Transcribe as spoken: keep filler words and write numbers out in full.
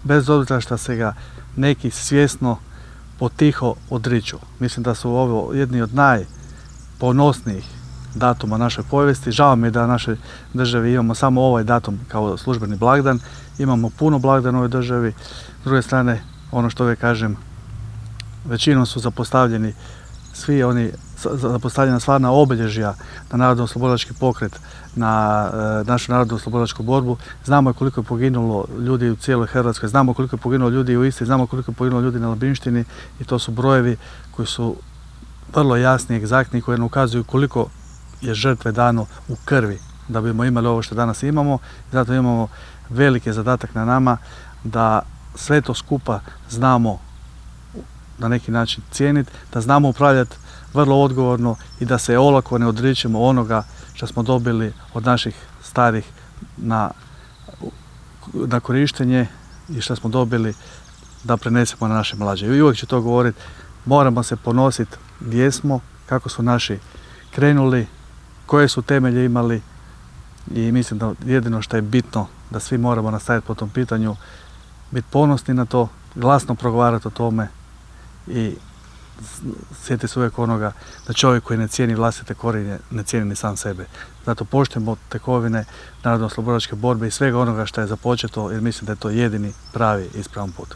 bez obzira što se ga neki svjesno potiho odriču. Mislim da su ovo jedni od najponosnijih datuma našoj povijesti. Žao mi je da u našoj državi imamo samo ovaj datum kao službeni blagdan. Imamo puno blagdana u ovoj državi. S druge strane, ono što uvijek kažem, većinom su zapostavljeni svi oni, zapostavljena stvarna obilježja na narodno-oslobodilački pokret, na e, našu narodno-oslobodilačku borbu. Znamo koliko je poginulo ljudi u cijeloj Hrvatskoj, znamo koliko je poginulo ljudi u Istri, znamo koliko je poginulo ljudi na Labinštini i to su brojevi koji su vrlo jasni, egzaktni, koji nam ukazuju koliko je žrtve dano u krvi da bismo imali ovo što danas imamo. Zato imamo veliki zadatak na nama da sve to skupa znamo na neki način cijeniti, da znamo upravljati vrlo odgovorno i da se olako ne odričemo onoga što smo dobili od naših starih na, na korištenje i što smo dobili da prenesemo na naše mlađe. I uvijek ću to govoriti, moramo se ponositi gdje smo, kako su naši krenuli, koje su temelje imali i mislim da jedino što je bitno da svi moramo nastaviti po tom pitanju, biti ponosni na to, glasno progovarati o tome i sjeti se uvijek onoga da čovjek koji ne cijeni vlastite korijenje ne cijeni ni sam sebe. Zato poštujemo tekovine narodno-oslobodilačke borbe i svega onoga što je započeto jer mislim da je to jedini pravi ispravan put.